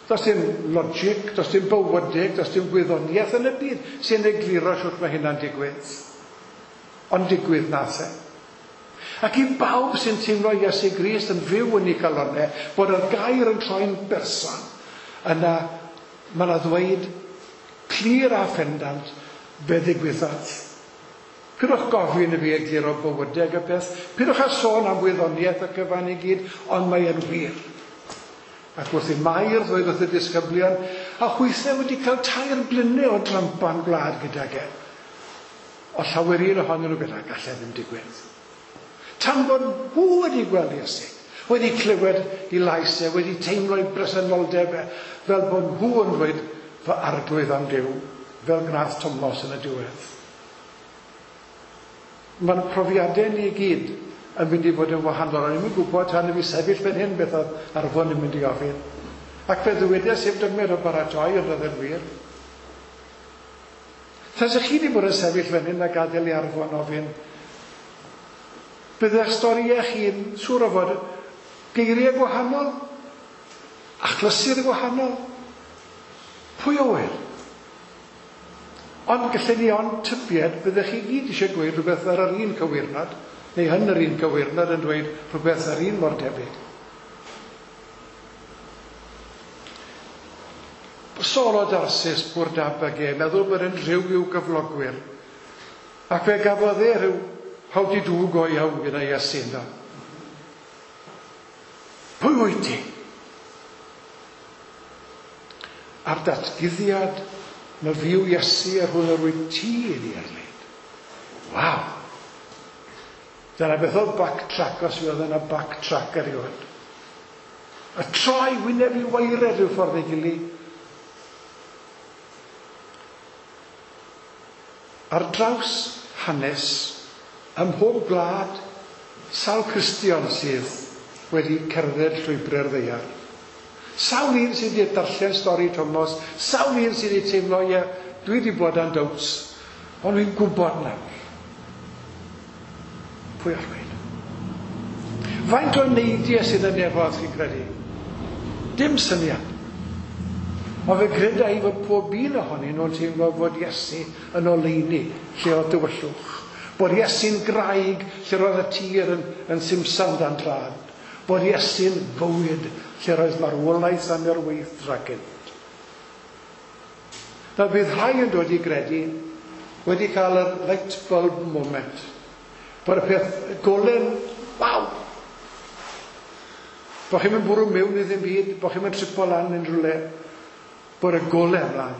S2: Does dim logic, does dim bywydeg, does dim gwyddoniaeth yn y byd sy'n egluro sut mae hynna'n digwydd. Ond digwydd nath e. Ac i bawb sy'n teimlo Iesu Grist yn fyw yn ei calonnau, bod yr gair yn troi'n berson, yna mae yna ddweud clir a phendant be ddigwyddodd. Pidwch gofyn i fi egluro bywydeg y peth, pidwch â sôn am wyddoniaeth y cyfan i gyd, ond mae e'n wir. Ac wrth i Mair ddweud wrth y disgyblion, a hwythau wedi cael 3 blynedd o drampan gwlad gydag e. O llawer un ohonyn nhw gyda, gallai ddim digwydd. Tan bod nhw wedi gweld Iesu, wedi clywed ei lais e, wedi teimlo ei bresenoldeb e, fel bod nhw yn dweud fy arglwydd am Duw, fel gwnaeth Tomos yn y diwedd. Mae'n profiadau ni i gyd yn mynd i fod yn wahanol. O'n i'm yn gwybod tan i fi sefyll fan hyn beth oedd Arfon yn mynd i ofyn. Ac fe ddywedes i'r dymer o baratoi, ond oedd yn wir. Tasech chi wedi bod yn sefyll fan hyn a gadael i Arfon ofyn, byddai'ch storïau chi'n siŵr o fod geiriau gwahanol, achlysur gwahanol. Pwy o wir? Ond gallen ni ond tybied byddech chi gyd eisiau gweud rhywbeth ar yr un cywirnod, neu yn yr un cywirnod yn dweud rhywbeth ar un mor debyg. Saul o Darsus, bwr dab ag e, meddwl bod e'n rhyw i'w gyflogwyr. Ac fe gafodd e rhyw how di do go iawn gyda Iesu ynddo. Pwy wyt ti? A'r datguddiad na fyw Iesu ar hwn yr wyt ti yn ei erlid. Waw! Dyna beth oedd backtrack, os oedd yna backtrack erioed. Y troi wyneb i waered rhyw ffordd ei gilydd. Ar draws hanes, ym mhob gwlad, sawl Cristion sydd wedi cerdded llwybrau'r ddaear. Sawl un sydd wedi darllen stori Tomos, sawl un sydd wedi teimlo, ie, dwi wedi bod yn doubts, ond dwi'n gwybod nawr. Pwy all weud? Faint o neidiau sydd yn nefoedd, chi'n credu? Dim syniad. Ond fe greda i fod pob un ohonyn nhw'n teimlo fod Iesu yn oleuni lle oedd dywyllwch. Bod Iesu'n graig lle roedd y tir yn simsan dan drad. Bod Iesu'n fywyd lle roedd marwolaeth am yr weithdra gynt. Nawr bydd rhai yn dod i gredu wedi cael yr light bulb moment. Bod y peth golen, waw! Bo chi'n mynd bwrw mewn i ddim byd, bo chi'n mynd tripo lan unrhyw le. Bod y golau ymlaen.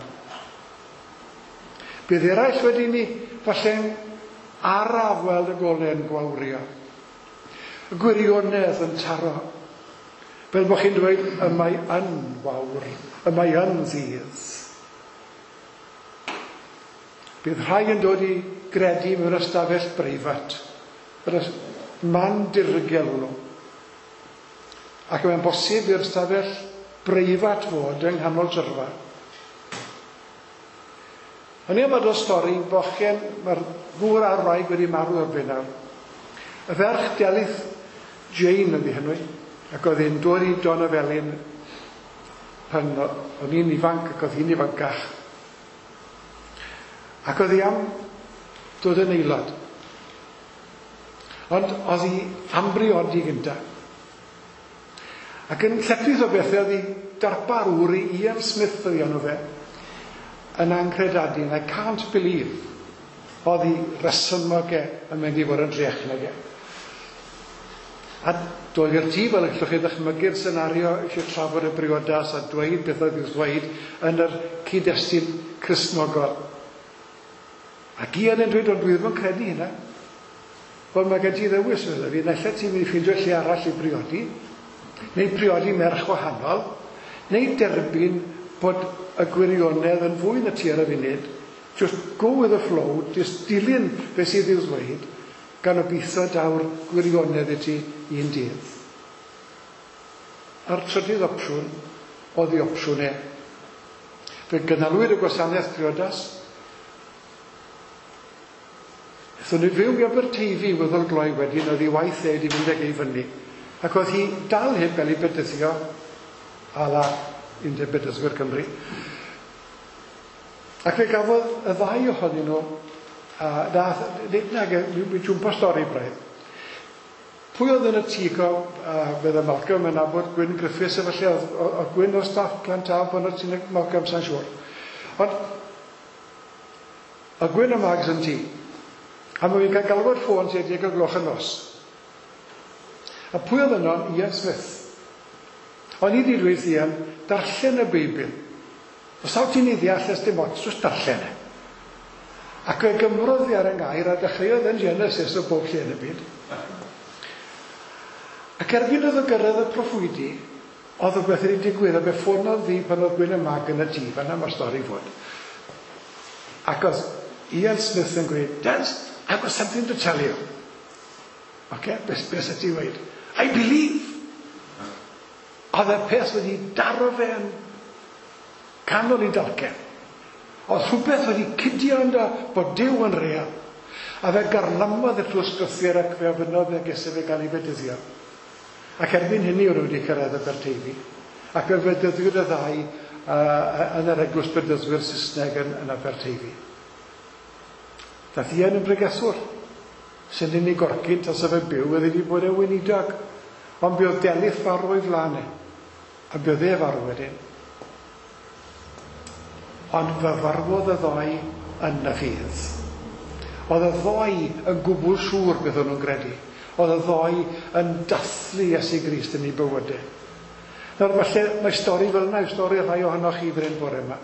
S2: Bydd eraill wedi ni falle'n araf weld y golau yn gwawrio. Y gwirionedd yn taro. Fel bod chi'n dweud, y mae yn wawr, y mae yn ddydd. Bydd rhai yn dod i gredu mewn ystafell breifat. Yr man dirgel hwnnw. Ac mae'n bosib i'r ystafell breifat fod yng nghanol tyrfa. O'n i am adrodd stori, bochen, mae'r gŵr a'r wraig wedi marw erbyn nawr. Y ferch Delyth Jane oedd ei henw, ac oedd hi'n dod i Don Afelin pan o'n i'n ifanc ac oedd hi'n ifancach. Ac oedd hi am dod yn aelod. Ond oedd hi am briodi gyntaf. Ac yn lletchwith o bethau oedd hi darpar ŵr i Ian Smith oedd enw fe, yn anghredadun. I can't believe oedd hi resymog e yn mynd i fod yn drech nag e. A doedd i'r tŷ, fel y gallwch chi ddychmygu'r senario, eisiau trafod y briodas a dweud beth oedd i'w ddweud yn yr cyd-destun Cristnogol. Ac Ian yn dweud, ond dwi ddim yn credu hynna. Wel, mae gen ti ddewis, meddai fi, naill ai ti'n mynd i ffeindio lle arall i briodi, neu priodi merch wahanol, neu derbyn bod y gwirionedd yn fwy na ti ar y funud, just go with the flow, just dilyn beth sydd i'w ddweud, gan obeithio daw'r gwirionedd i ti un dydd. A'r trydydd opsiwn oedd ei opsiwn e. Fe gynhalwyd y gwasanaeth priodas. Aethon nhw fyw i Aberteifi weddol gloi wedyn, oedd ei waith e wedi mynd ag e i fyny. Ac oedd hi dal heb gael ei bedyddio a la Undeb Bedyddwyr Cymru. Ac fe gafodd y ddau ohonyn nhw, a nath, nag, mi jwmpo stori braidd. Pwy oedd yn y tŷ co, fydde Malcolm yn nabod Gwyn Griffiths, efallai, oedd Gwyn o staff Glantaf pan oedd ti'n Malcolm, sa'n siŵr. Ond, oedd Gwyn a Mags yn tŷ. A mae fi'n cael galwad ffôn tua 10 o gloch y nos. A pwy oedd yno? Ian Smith. O'n i wedi dweud Ian, darllen y Beibl. Os taw ti'n ei ddeall, ers dim ots, jyst darllen e. Ac fe gymrodd fi ar y ngair a dechreuodd yn Genesis o bob lle yn y byd. Ac erbyn iddo gyrraedd y proffwydi, oedd rhywbeth wedi digwydd, a fe ffonodd fi pan oedd Gwyn y Mag yn y tŷ, fan'na mae'r stori fod. Ac oedd Ian Smith yn gweud, Des, I've got something to tell you. Oce, beth be sy'n ti weud? I believe! Oedd y peth wedi daro fe yn canol i dalcen. Oedd rhywbeth wedi cydio ynddo bod Duw yn real. A fe garlamodd y trwy ysgrythur ac fe ofynnodd fe gese fe gael ei fedyddio. Ac erbyn hynny oedd wedi cyrraedd Aberteifi. Ac fe fedyddiwyd y ddau yn yr eglwys bedyddwyr Saesneg yn Aberteifi. Dath Ian yn bregethwr. Sy'n unig gorgyn tas fe byw, oedd wedi bod e'n weinidog. Ond buodd Delyth farw o'i flaen e. A buodd e farw wedyn. Ond fe farwodd y ddoi yn y ffydd. Oedd y ddoi yn gwbl siŵr beth o'n nhw'n gredu. Oedd y ddoi yn dathlu Iesu Grist yn ei bywydau. Nawr, falle mae stori fel yna, stori rhai ohonoch chi fan hyn bore yma.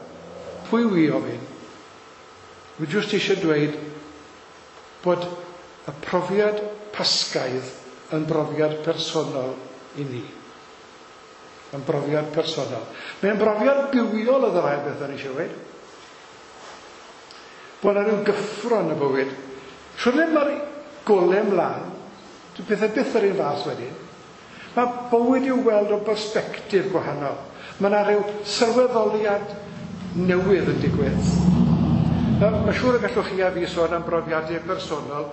S2: Pwy wi ofyn? Wi jyst eisiau dweud bod y profiad Pasgaidd yn brofiad personol i ni. Yn brofiad personol. Mae'n brofiad bywiol oedd yr ail beth o'n eisiau dweud. Bod yna rhyw gyffro yn y bywyd. Siwrne mae'r golau mlaen, dyw pethau byth yr un fath wedyn. Mae bywyd i'w weld o bersbectif gwahanol. Mae yna rhyw sylweddoliad newydd yn digwydd. Nawr, mae'n siŵr y gallwch chi a fi sôn am brofiadau personol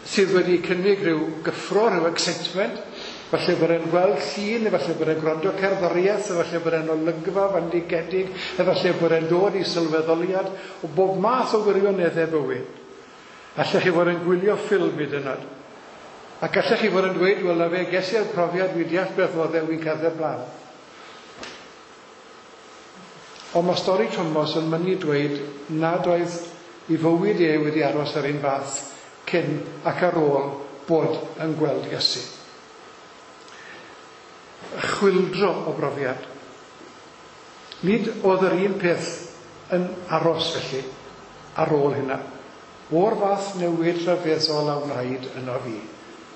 S2: sydd wedi cynnig rhyw gyffro, rhyw excitement. Falle bod e'n gweld llun, efallai bod e'n gwrando cerddoriaeth, efallai bod e'n olygfa fandigedig, efallai bod e'n dod i sylweddoliad o bob math o wirioneddau bywyd. Allech chi fod yn gwylio ffilm hyd yn oed. Ac allech chi fod yn dweud, wel na fe, ges i'r profiad, wi deall beth oedd e, wi'n cerdded blaen. Ond mae stori Thomas yn mynnu dweud nad oedd ei fywyd e wedi aros yr un fath cyn ac ar ôl bod yn gweld Iesu. Chwyldro o brofiad. Nid oedd yr un peth yn aros felly ar ôl hynna. O'r fath newid rhyfeddol a wnaed yno fi.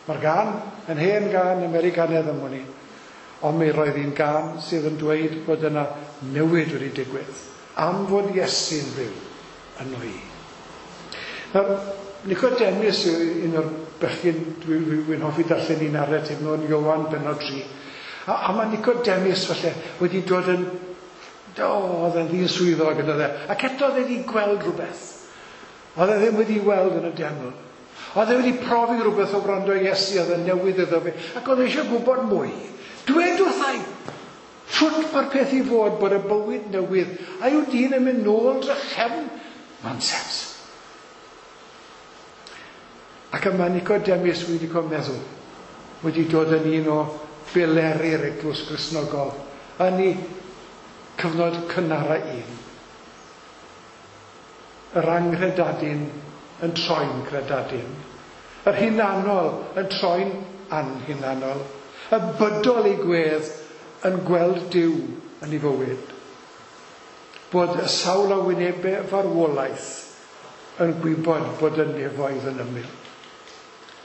S2: Mae'r gân yn hen gân Americanaidd am wn i, ond mi roedd hi'n gân sydd yn dweud bod yna newid wedi digwydd am fod Iesu'n fyw yno i. Nawr, Nicodemus yw un o'r bechgyn dwi'n hoffi darllen un narratif nhw yn Ioan bennod 3. A mae Nicodemus falle wedi dod yn, oedd e'n ddyn swyddog yn oedd e, ac eto oedd e wedi gweld rhywbeth. Oedd e ddim wedi weld yn y deml. Oedd e wedi profi rhywbeth o wrando Iesu, oedd e'n newydd iddo fe, ac oedd e eisiau gwybod mwy. Dwed wrtha i, shwt mae'r peth i fod bod y bywyd newydd, a yw dyn yn mynd nôl drachefn? Nonsens. Ac yma Nicodemus wedi cael meddwl, wedi dod yn un o bileri'r eglwys Gristnogol yn ei cyfnod cynara un. Yr anghredadun yn troi'n credadun. Yr hunanol yn troi'n anhunanol, y bydol ei gwedd yn gweld Duw yn ei fywyd. Bod y sawl a wynebau farwolaeth yn gwybod bod y nefoedd yn ymyl.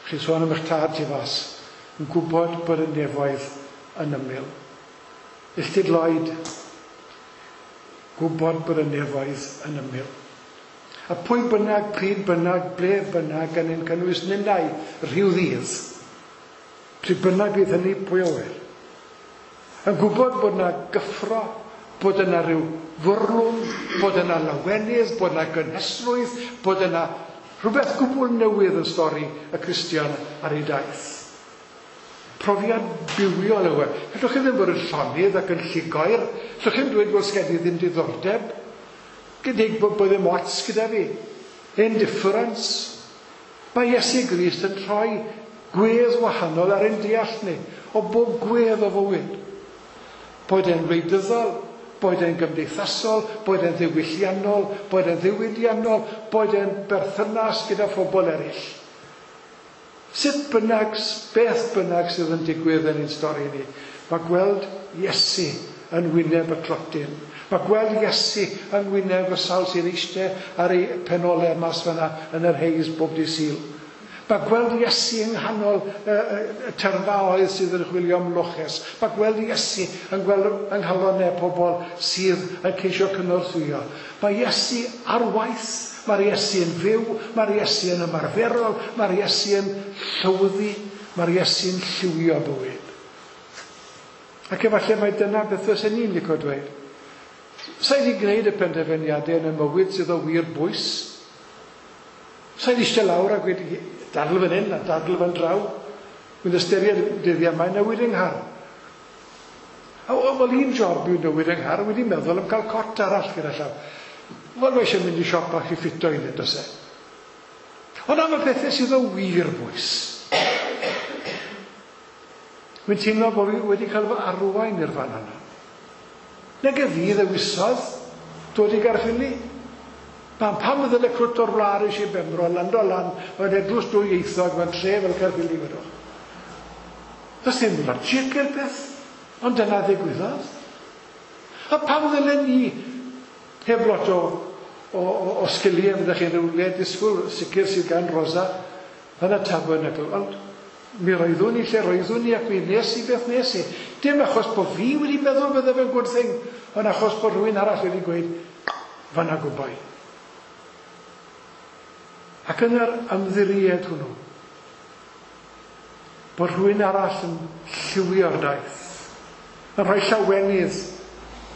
S2: Chi'n sôn am eich tad tu fas, yn gwybod bod y nefoedd yn ymyl. Illtyd Lloyd, gwybod bod y nefoedd yn ymyl. A pwy bynnag, pryd bynnag, ble bynnag, gan ein cynnwys ninnau rhyw ddydd, pryd bynnag bydd hynny, pwy a ŵyr. Yn gwybod bod yna gyffro, bod yna rhyw fwrlwm, bod yna lawenydd, bod yna gynhesrwydd, bod yna rhywbeth gwbl newydd yn stori y Cristion ar ei daith. Profiad bywiol yw e. Gallwch chi ddim bod yn llonydd ac yn llugoer. Gallwch chi ddim dweud, wel, sgen i ddim diddordeb. Gydig bod ddim ots gyda fi. Indifference. Mae Iesu Grist yn rhoi gwedd wahanol ar ein deall ni, o bob gwedd o fywyd. Boed e'n wleidyddol, boed e'n gymdeithasol, boed e'n ddiwylliannol, boed e'n ddiwydiannol, boed e'n berthynas gyda phobl eraill. Sut bynnag, beth bynnag sydd yn digwydd yn ein stori ni, mae gweld Iesu yn wyneb y clotyn. Mae gweld Iesu yn wyneb y sawl sy'n eistedd ar ei penolau mas fan'na yn yr haze bob dydd Sul. Mae gweld Iesu yng nghanol y tyrfaoedd sydd yn chwilio am loches. Mae gweld Iesu yn gweld yng nghalonnau pobl sydd yn ceisio cynorthwyo. Mae Iesu ar waith, mae'r Iesu yn fyw, mae'r Iesu yn ymarferol, mae'r Iesu yn llywyddu, mae'r Iesu yn lliwio bywyd. Ac efallai mai dyna beth fysen ni'n licio dweud. Sa i 'di gwneud y penderfyniadau yn y mywyd sydd o wir bwys. Sa i 'di eistedd lawr a gweud, dadl fan hyn a dadl fan draw. Wy'n ystyried dyddiau mae newid yng nghar. A wel, un job yw newid yng nghar, wedi meddwl am cael cot arall gyda llaw. Wel, mae eisiau mynd i siop bach i ffito un, does e? Ond am y pethau sydd o wir bwys. Wy'n teimlo bod fi wedi cael fy arwain i'r fan yna. Nag y fi ddewisodd dod i Gaerffili. Pam ddyle crwt o'r wlad eisiau Benfro, lando lan, mewn eglwys dwyieithog, mewn tre fel Caerffili, wedwch. Does dim logic i'r peth, ond dyna ddigwyddodd. A pam ddylen ni, heb lot o sgiliau, fyddech chi'n rhywle disgwyl sicr sydd gan Rosa yn y Tabernacl, ond mi roeddwn i lle roeddwn i ac mi nes i beth nes i. Dim achos bod fi wedi meddwl bydde fe'n good thing, ond achos bod rhywun arall wedi gweud, fan'na gwboi. Ac yn yr ymddiried hwnnw, bod rhywun arall yn lliwio'r daith, yn rhoi llawenydd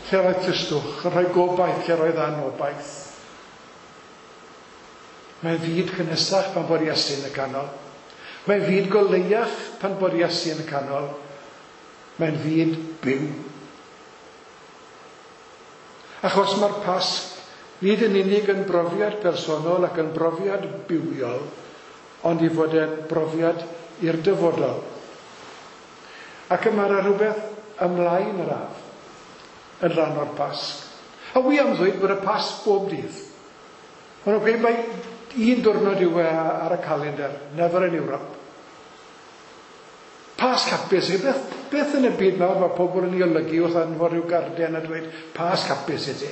S2: lle roedd tristwch, yn rhoi gobaith lle roedd anobaith. Mae'n fyd cynhesach pan bod Iesu yn y canol. Mae'n fyd goleuach pan bod Iesu yn y canol. Mae'n fyd byw. Achos mae'r Pasg nid yn unig yn brofiad personol ac yn brofiad bywiol, ond i fod e'n brofiad i'r dyfodol. Ac y mae rhywbeth ymlaen yr haf yn rhan o'r Pasg. A wi am ddweud bod y Pasg bob dydd. Maen nhw'n gweud mai un diwrnod yw e ar y calendar, never in Europe. Pasg hapus, beth yn y byd mawr mae pobl yn ei olygu wrth anfon rhyw garden a dweud Pasg hapus i ti.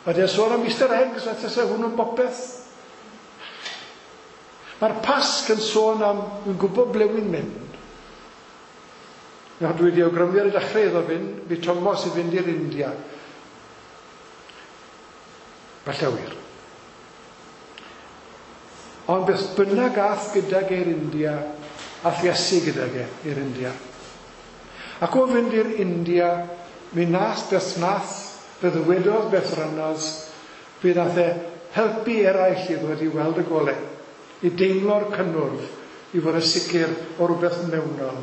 S2: Mae e'n sôn am Easter eggs, a tase hwnnw'n bopeth. Mae'r Pasg yn sôn am, dwi'n gwybod ble wy'n mynd. Nawr dwi wedi awgrymu ar y dechrau iddo fynd, bu Thomas i fynd i'r India. Falle wir. Ond beth bynnag ath gydag e'r India, ath Iesu gydag e i'r India. Ac o fynd i'r India, mi nath beth nath, fe ddywedodd beth rannodd, fe nath e helpu eraill i ddod i weld y golau, i deimlo'r cynnwrf, i fod yn sicr o rhywbeth mewnol.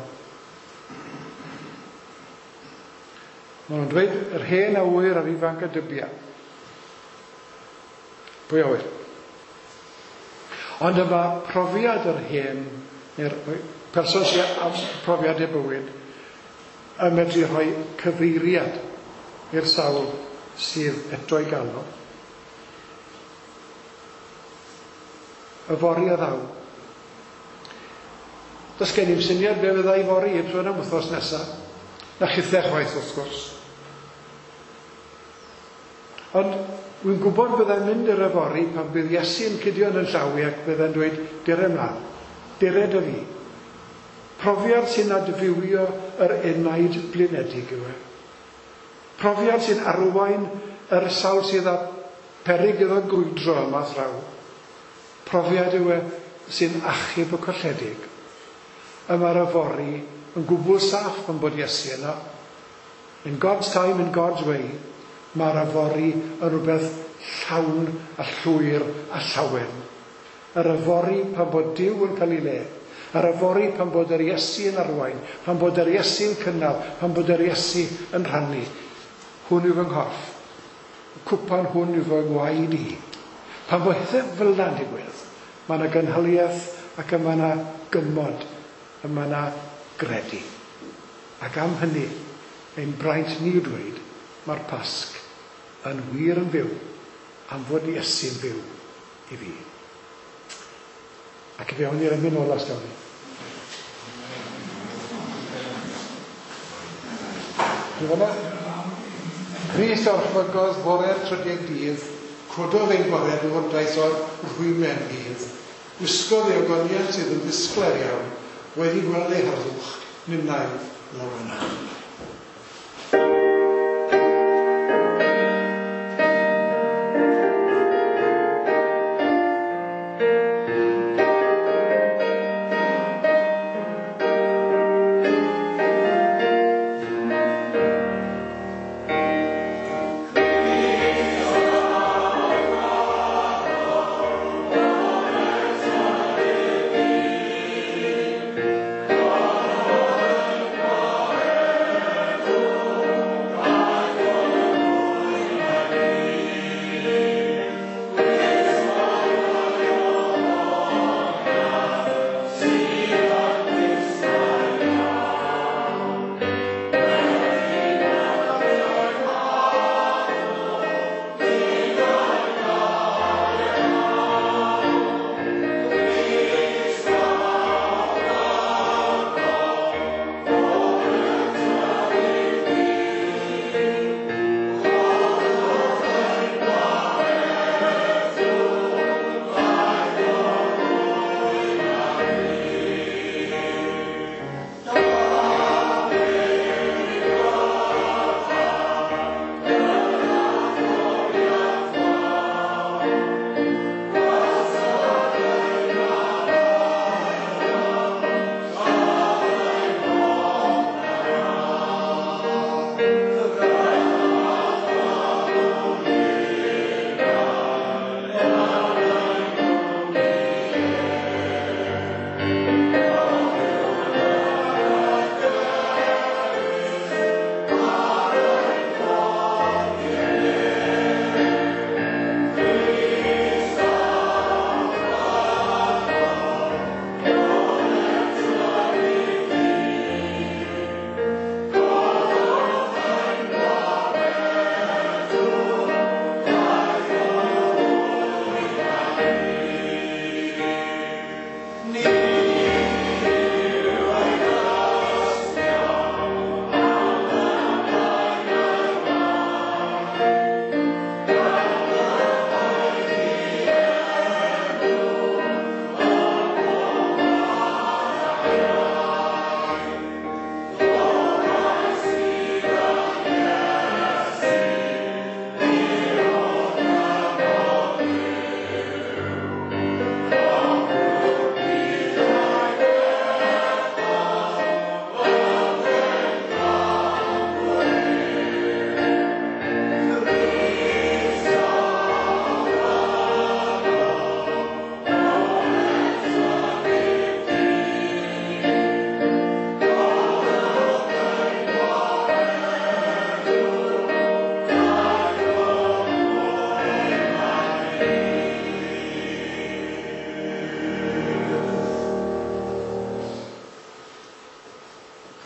S2: Maen nhw'n dweud yr hen a ŵyr a'r ifanc a dybia. Pwy a ŵyr? Ond yma profiad yr hen, neu'r person sydd am profiad ei bywyd, yn medru rhoi cyfeiriad i'r sawl sydd eto i gael o. Yfory a ddaw. Does gen i'm syniad be fydda i fory, heb sôn am wythnos nesaf. Na chithau chwaith, wrth gwrs. Ond wy'n gwybod byddai'n mynd i'r yfory pan bydd Iesu yn cydio yn y llaw i ac byddai'n dweud, dere mlaen, dere dy fi. Profiad sy'n adfywio yr enaid blinedig yw e. Profiad sy'n arwain yr sawl sydd â peryg iddo grwydro yma thraw. Profiad yw e sy'n achub y colledig. Y mae'r yfory yn gwbl saff pan bod Iesu yno. In God's time, in God's way, mae'r yfory yn rhywbeth llawn a llwyr a llawen. Yr yfory pan bod Duw yn cael ei le. Yr yfory pan bod yr Iesu yn arwain, pan bod yr Iesu'n cynnal, pan bod yr Iesu yn rhannu. Hwn yw fy nghorff. Y cwpan hwn yw fy ngwaed i. Pan bod pethau fel yna'n digwydd, mae yna gynhaliaeth ac mae yna gymod, a mae yna gredu. Ac am hynny, ein braint ni yw dweud, mae'r Pasg yn wir yn fyw, am fod Iesu'n fyw i fi. Ac fe awn ni'r emyn ola, os gawn ni. Dwi fan'na? Crist orchfygodd fore'r trydydd dydd, cododd ein gwaredwr daeth o'r rhwymen gudd. Gwisgodd ei ogoniant sydd yn ddisglair iawn, wedi gweld ei harddwch, ninnau lawenach.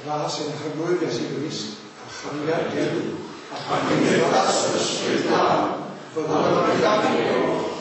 S2: Gras ein Harglwydd Iesu Grist, a chariad Duw, a chymdeithas Ysbryd Glân, fyddo gyda chi.